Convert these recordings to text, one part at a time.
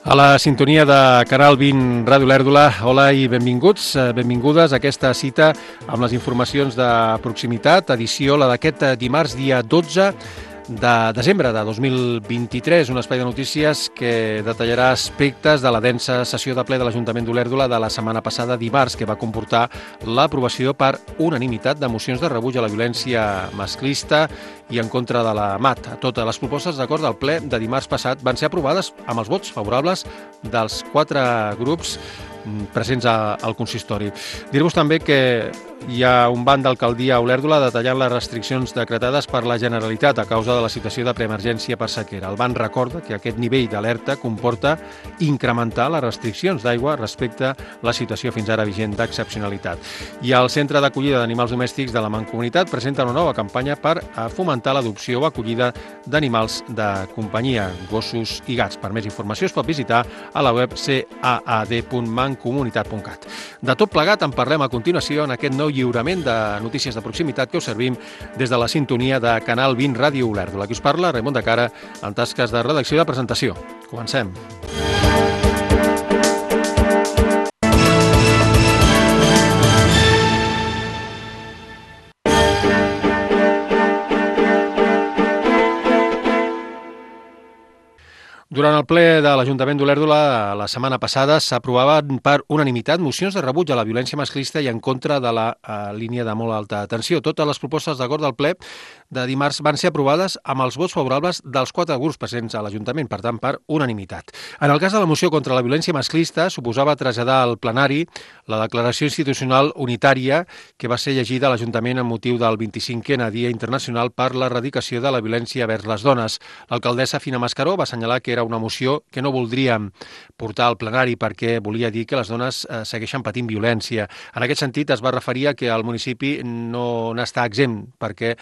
A la sintonia de Canal 20 Ràdio Olèrdola, hola i benvinguts, benvingudes a aquesta cita amb les informacions de proximitat, edició la d'aquest dimarts dia 12 de desembre de 2023, un espai de notícies que detallarà aspectes de la densa sessió de ple de l'Ajuntament d'Olèrdola de la setmana passada dimarts, que va comportar l'aprovació per unanimitat de mocions de rebuig a la violència masclista i en contra de la MAT. Totes les propostes d'acord del ple de dimarts passat van ser aprovades amb els vots favorables dels 4 grups presents al consistori. Dir-vos també que hi ha un banc d'alcaldia a Olèrdola detallant les restriccions decretades per la Generalitat a causa de la situació de preemergència per sequera. El banc recorda que aquest nivell d'alerta comporta incrementar les restriccions d'aigua respecte a la situació fins ara vigent d'excepcionalitat. I el Centre d'Acollida d'Animals Domèstics de la Mancomunitat presenta una nova campanya per fomentar l'adopció o acollida d'animals de companyia, gossos i gats. Per més informació es pot visitar a la web caad.mancomunitat.cat. De tot plegat en parlem a continuació en aquest nou lliurament de notícies de proximitat que us servim des de la sintonia de Canal 20 Ràdio Olèrdola. Aquí us parla Raimon de Cara en tasques de redacció i de presentació. Comencem. Durant el ple de l'Ajuntament d'Olèrdola la setmana passada s'aprovaven per unanimitat mocions de rebuig a la violència masclista i en contra de la línia de molt alta tensió. Totes les propostes d'acord del ple de dimarts van ser aprovades amb els vots favorables dels 4 grups presents a l'Ajuntament, per tant, per unanimitat. En el cas de la moció contra la violència masclista, suposava traslladar al plenari la declaració institucional unitària que va ser llegida a l'Ajuntament en motiu del 25è Dia Internacional per l'Erradicació de la Violència vers les Dones. L'alcaldessa Fina Mascaró va assenyalar que era una moció que no voldríem portar al plenari perquè volia dir que les dones segueixen patint violència. En aquest sentit, es va referir a que el municipi no n'està exempt perquè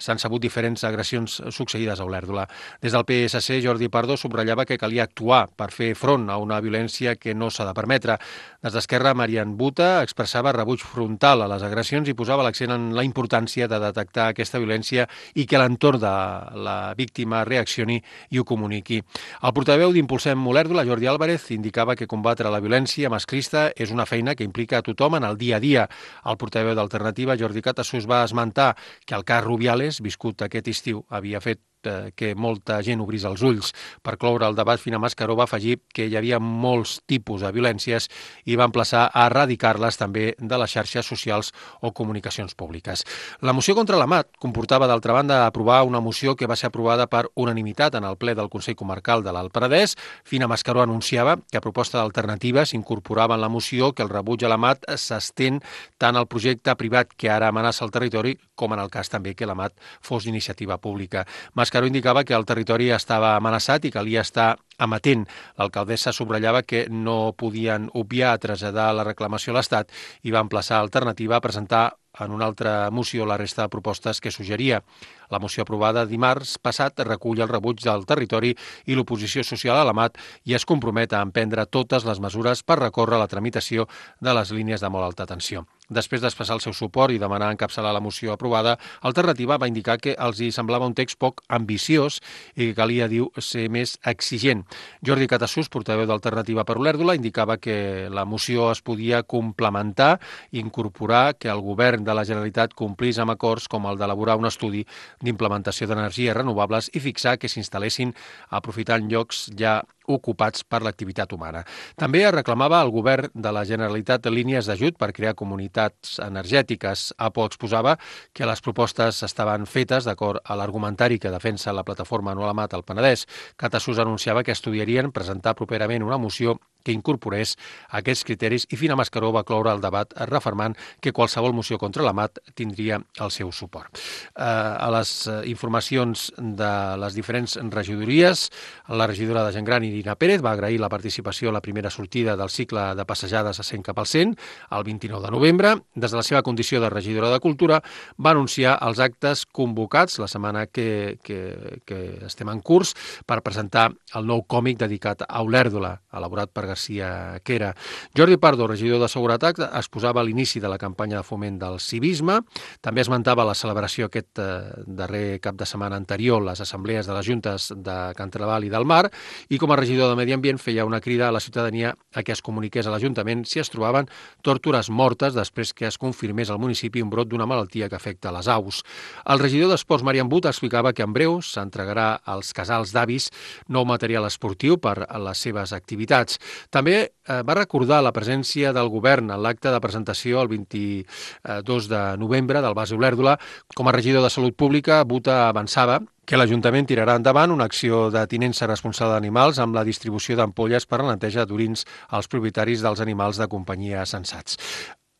s'han sabut diferents agressions succeïdes a Olèrdola. Des del PSC, Jordi Pardo subratllava que calia actuar per fer front a una violència que no s'ha de permetre. Des d'Esquerra, Marian Buta expressava rebuig frontal a les agressions i posava l'accent en la importància de detectar aquesta violència i que l'entorn de la víctima reaccioni i ho comuniqui. El portaveu d'Impulsem Olèrdola, Jordi Álvarez, indicava que combatre la violència masclista és una feina que implica a tothom en el dia a dia. El portaveu d'Alternativa, Jordi Catasús, va esmentar que el cas Rubiales, viscut aquest estiu, havia fet que molta gent obrís els ulls. Per cloure el debat, Fina Mascaró va afegir que hi havia molts tipus de violències i va emplaçar a erradicar-les també de les xarxes socials o comunicacions públiques. La moció contra la MAT comportava, d'altra banda, aprovar una moció que va ser aprovada per unanimitat en el ple del Consell Comarcal de l'Alt Penedès. Fina Mascaró anunciava que a proposta d'Alternativa s'incorporava en la moció que el rebuig a la MAT s'estén tant al projecte privat que ara amenaça el territori com en el cas també que la MAT fos d'iniciativa pública. Mascaró indicava que el territori estava amenaçat i calia estar amatent. L'alcaldessa subratllava que no podien obviar traslladar la reclamació a l'Estat i va emplaçar Alternativa a presentar en una altra moció la resta de propostes que suggeria. La moció aprovada dimarts passat recull el rebuig del territori i l'oposició social a la MAT i es compromet a emprendre totes les mesures per recórrer la tramitació de les línies de molt alta tensió. Després d'expressar el seu suport i demanar encapçalar la moció aprovada, Alternativa va indicar que els hi semblava un text poc ambiciós i que calia, diu, ser més exigent. Jordi Catasús, portaveu d'Alternativa per Olèrdola, indicava que la moció es podia complementar i incorporar que el govern de la Generalitat complís amb acords com el d'elaborar un estudi d'implementació d'energies renovables i fixar que s'instal·lessin aprofitant llocs ja ocupats per l'activitat humana. També es reclamava al govern de la Generalitat línies d'ajut per crear comunitats energètiques. APO exposava que les propostes estaven fetes d'acord a l'argumentari que defensa la plataforma No a la MAT al Penedès. Catasús anunciava que estudiarien presentar properament una moció que incorporés aquests criteris i Fina Mascaró va cloure el debat refermant que qualsevol moció contra la MAT tindria el seu suport. A les informacions de les diferents regidories, la regidora de Gent Gran, Irina Pérez, va agrair la participació a la primera sortida del cicle de passejades a 100 cap al 100 el 29 de novembre. Des de la seva condició de regidora de Cultura va anunciar els actes convocats la setmana que estem en curs per presentar el nou còmic dedicat a Olèrdola, elaborat per García Quera. Jordi Pardo, regidor de Seguretat, exposava l'inici de la campanya de foment del civisme. També esmentava la celebració aquest darrer cap de setmana anterior, les assemblees de les juntes de Can Trabal i del Mar, i com a regidor de Medi Ambient feia una crida a la ciutadania a que es comuniqués a l'Ajuntament si es trobaven tórtores mortes després que es confirmés al municipi un brot d'una malaltia que afecta les aus. El regidor d'Esports, Marian But, explicava que en breu s'entregarà als casals d'avis nou material esportiu per a les seves activitats. També va recordar la presència del govern en l'acte de presentació el 22 de novembre del Base Olèrdola. Com a regidor de Salut Pública, Buta avançava que l'Ajuntament tirarà endavant una acció de tinença responsable d'animals amb la distribució d'ampolles per a la neteja d'orins als propietaris dels animals de companyia sensats.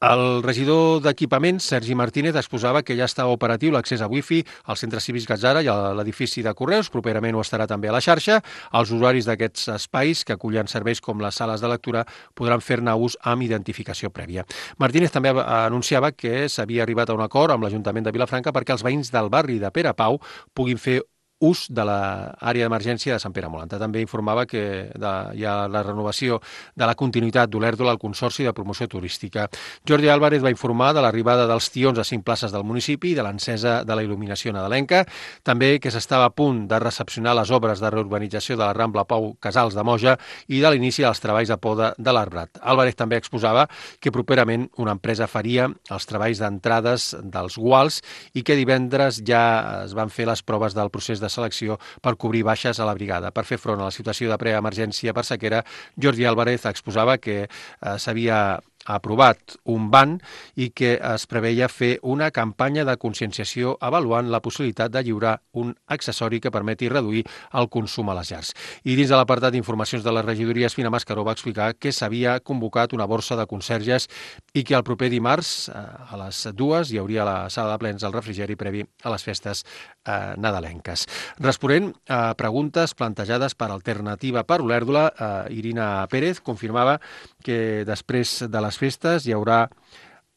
El regidor d'Equipaments, Sergi Martínez, exposava que ja està operatiu l'accés a Wi-Fi al Centre Cívic Gatzara i a l'edifici de Correus. Properament ho estarà també a la xarxa. Els usuaris d'aquests espais que acullen serveis com les sales de lectura podran fer-ne ús amb identificació prèvia. Martínez també anunciava que s'havia arribat a un acord amb l'Ajuntament de Vilafranca perquè els veïns del barri de Pere Pau puguin fer ús de l'àrea d'emergència de Sant Pere Molanta. També informava que hi ha la renovació de la continuïtat d'Olèrdola al Consorci de Promoció Turística. Jordi Álvarez va informar de l'arribada dels tions a 5 places del municipi i de l'encesa de la il·luminació nadalenca. També que s'estava a punt de recepcionar les obres de reurbanització de la Rambla Pau Casals de Moja i de l'inici dels treballs de poda de l'Arbrat. Álvarez també exposava que properament una empresa faria els treballs d'entrades dels guals i que divendres ja es van fer les proves del procés de selecció per cobrir baixes a la brigada. Per fer front a la situació de preemergència per sequera, Jordi Álvarez exposava que s'havia aprovat un ban i que es preveia fer una campanya de conscienciació avaluant la possibilitat de lliurar un accessori que permeti reduir el consum a les llars. I dins de l'apartat d'informacions de la regidoria, Espina Mascaró va explicar que s'havia convocat una borsa de conserges i que el proper dimarts a les 2 hi hauria a la sala de plens el refrigeri previ a les festes nadalenques. Responent a preguntes plantejades per Alternativa per Olèrdola, Irina Pérez confirmava que després de les festes hi haurà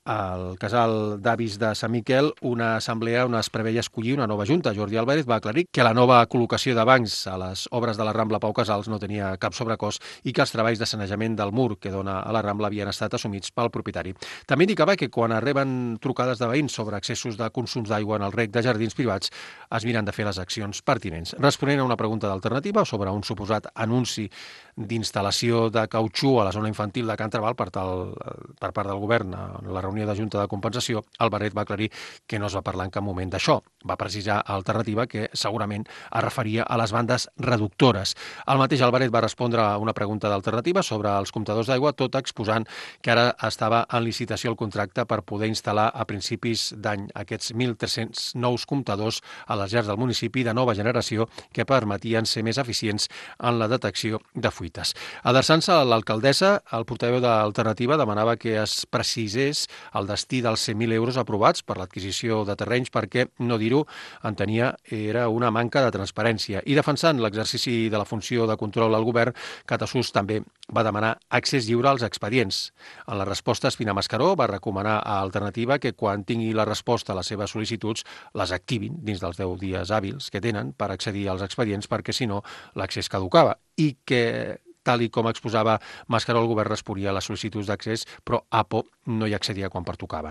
al casal d'avis de Sant Miquel una assemblea on es preveia escollir una nova junta. Jordi Álvarez va aclarir que la nova col·locació de bancs a les obres de la Rambla Pau Casals no tenia cap sobrecost i que els treballs de sanejament del mur que dona a la Rambla havien estat assumits pel propietari. També indicava que quan reben trucades de veïns sobre excessos de consums d'aigua en el rec de jardins privats es miren de fer les accions pertinents. Responent a una pregunta d'Alternativa sobre un suposat anunci d'instal·lació de cautxú a la zona infantil de Can Trabal per part del govern en la reunió de Junta de Compensació, Álvarez va aclarir que no es va parlar en cap moment d'això. Va precisar a Alternativa que segurament es referia a les bandes reductores. El mateix Álvarez va respondre a una pregunta d'Alternativa sobre els comptadors d'aigua, tot exposant que ara estava en licitació el contracte per poder instal·lar a principis d'any aquests 1.300 nous comptadors a les llars del municipi de nova generació que permetien ser més eficients en la detecció de fuites. Adreçant-se a l'alcaldessa, el portaveu d'Alternativa demanava que es precisés el destí dels 100.000 euros aprovats per l'adquisició de terrenys perquè, no dir-ho, entenia era una manca de transparència. I defensant l'exercici de la funció de control al govern, Catasús també va demanar accés lliure als expedients. En la resposta, Espina Mascaró va recomanar a Alternativa que quan tingui la resposta a les seves sol·licituds les activin dins dels 10 dies hàbils que tenen per accedir als expedients perquè, si no, l'accés caducava. I que tal i com exposava Mascaró, el govern responia a les sol·licituds d'accés, però APO no hi accedia quan pertocava.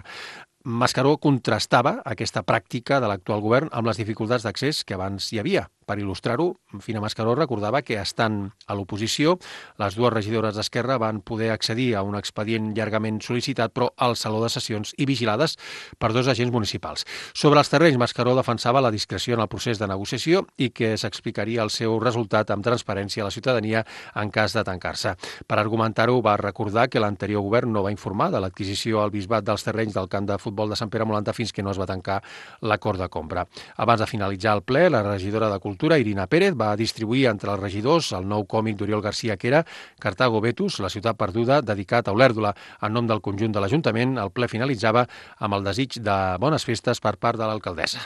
Mascaró contrastava aquesta pràctica de l'actual govern amb les dificultats d'accés que abans hi havia. Per il·lustrar-ho, Fina Mascaró recordava que, estant a l'oposició, les dues regidores d'Esquerra van poder accedir a un expedient llargament sol·licitat, però al saló de sessions i vigilades per 2 agents municipals. Sobre els terrenys, Mascaró defensava la discreció en el procés de negociació i que s'explicaria el seu resultat amb transparència a la ciutadania en cas de tancar-se. Per argumentar-ho, va recordar que l'anterior govern no va informar de l'adquisició al bisbat dels terrenys del camp de futbol de Sant Pere Molanta fins que no es va tancar l'acord de compra. Abans de finalitzar el ple, la regidora de Cultura, Irina Pérez, va distribuir entre els regidors el nou còmic d'Oriol García Quera, Cartago Vetus, la ciutat perduda, dedicat a Olèrdola. En nom del conjunt de l'Ajuntament, el ple finalitzava amb el desig de bones festes per part de l'alcaldessa.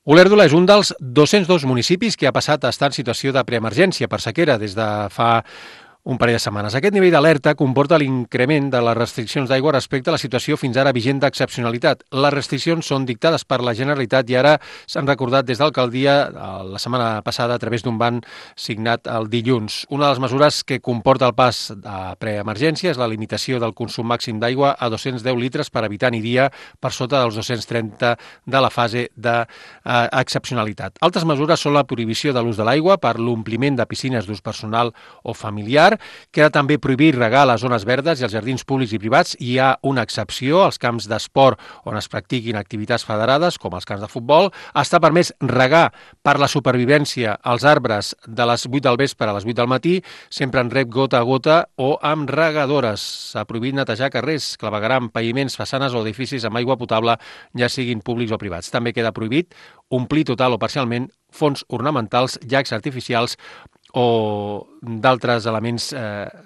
Olèrdola és un dels 202 municipis que ha passat a estar en situació de preemergència per sequera des de fa un parell de setmanes. Aquest nivell d'alerta comporta l'increment de les restriccions d'aigua respecte a la situació fins ara vigent d'excepcionalitat. Les restriccions són dictades per la Generalitat i ara s'han recordat des d'alcaldia la setmana passada a través d'un ban signat el dilluns. Una de les mesures que comporta el pas de preemergència és la limitació del consum màxim d'aigua a 210 litres per habitant i dia per sota dels 230 de la fase d'excepcionalitat. Altres mesures són la prohibició de l'ús de l'aigua per l'ompliment de piscines d'ús personal o familiar. Queda també prohibir regar les zones verdes i els jardins públics i privats. Hi ha una excepció als camps d'esport on es practiquin activitats federades, com els camps de futbol. Està permès regar per la supervivència als arbres de les 8 del vespre a les 8 del matí, sempre en reg gota a gota o amb regadores. S'ha prohibit netejar carrers, clavegueram, paviments, façanes o edificis amb aigua potable, ja siguin públics o privats. També queda prohibit omplir total o parcialment fons ornamentals, llacs artificials o d'altres elements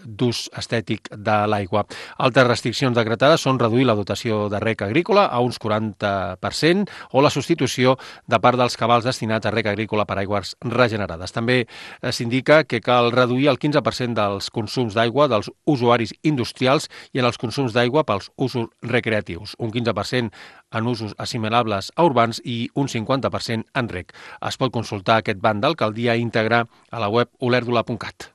d'ús estètic de l'aigua. Altres restriccions decretades són reduir la dotació de reg agrícola a uns 40% o la substitució de part dels cabals destinats a reg agrícola per aigües regenerades. També s'indica que cal reduir el 15% dels consums d'aigua dels usuaris industrials i en els consums d'aigua pels usos recreatius, un 15% en usos assimilables a urbans i un 50% en reg. Es pot consultar aquest ban d'alcaldia íntegre a la web olerdula.cat.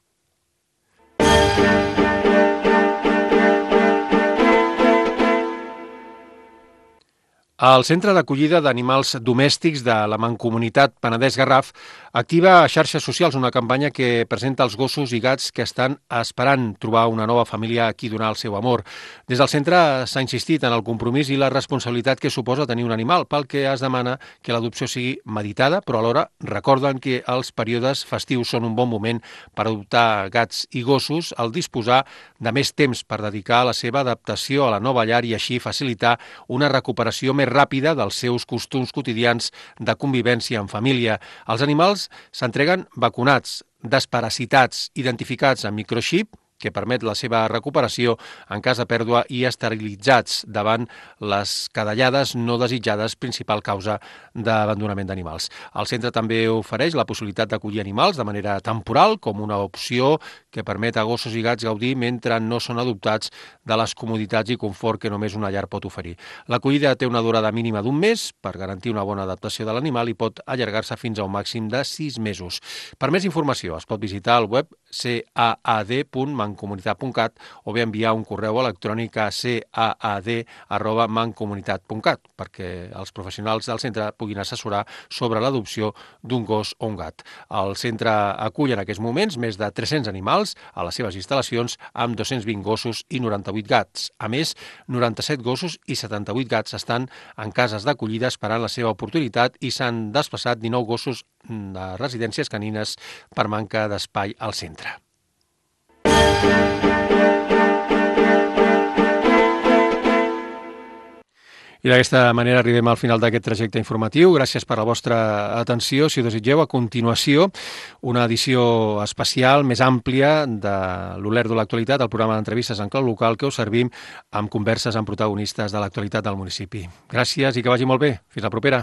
El Centre d'Acollida d'Animals Domèstics de la Mancomunitat Penedès-Garraf activa a xarxes socials una campanya que presenta els gossos i gats que estan esperant trobar una nova família a qui donar el seu amor. Des del centre s'ha insistit en el compromís i la responsabilitat que suposa tenir un animal, pel que es demana que l'adopció sigui meditada, però alhora recorden que els períodes festius són un bon moment per adoptar gats i gossos al disposar de més temps per dedicar a la seva adaptació a la nova llar i així facilitar una recuperació més ràpida dels seus costums quotidians de convivència en família. Els animals s'entreguen vacunats, desparasitats, identificats amb microxip, que permet la seva recuperació en cas de pèrdua i esterilitzats davant les cadellades no desitjades, principal causa d'abandonament d'animals. El centre també ofereix la possibilitat d'acollir animals de manera temporal, com una opció que permet a gossos i gats gaudir mentre no són adoptats de les comoditats i confort que només una llar pot oferir. L'acollida té una durada mínima d'un mes per garantir una bona adaptació de l'animal i pot allargar-se fins a un màxim de 6 mesos. Per més informació es pot visitar el web caad.mancomunitat.cat o bé enviar un correu electrònic a caad@mancomunitat.cat perquè els professionals del centre puguin assessorar sobre l'adopció d'un gos o un gat. El centre acull en aquests moments més de 300 animals a les seves instal·lacions amb 220 gossos i 98 gats. A més, 97 gossos i 78 gats estan en cases d'acollida esperant la seva oportunitat i s'han desplaçat 19 gossos de residències canines per manca d'espai al centre. I d'aquesta manera arribem al final d'aquest trajecte informatiu. Gràcies per la vostra atenció. Si ho desitgeu, a continuació, una edició especial més àmplia de l'Olerdo de l'actualitat, el programa d'entrevistes en clau local que us servim amb converses amb protagonistes de l'actualitat del municipi. Gràcies i que vagi molt bé. Fins la propera.